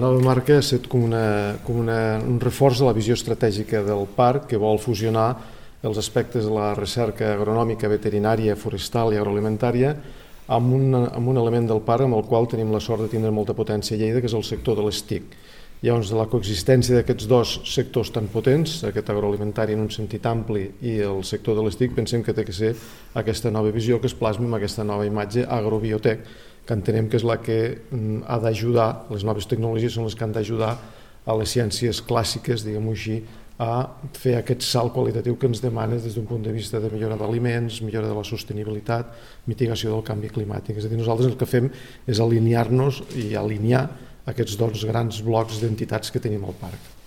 La nova marca ha estat com un reforç de la visió estratègica del parc, que vol fusionar els aspectes de la recerca agronòmica, veterinària, forestal i agroalimentària amb un element del parc amb el qual tenim la sort de tindre molta potència a Lleida, que és el sector de les TIC. Llavors, de la coexistència d'aquests dos sectors tan potents, aquest agroalimentari en un sentit ampli i el sector de les TIC, pensem que té que ser aquesta nova visió que es plasmi amb aquesta nova imatge agrobiotec, que entenem que és la que ha d'ajudar, les noves tecnologies són les que han d'ajudar a les ciències clàssiques, diguem-ho així, a fer aquest salt qualitatiu que ens demana des d'un punt de vista de millora d'aliments, millora de la sostenibilitat, mitigació del canvi climàtic. És a dir, nosaltres el que fem és alinear-nos i alinear aquests dos grans blocs d'entitats que tenim al parc.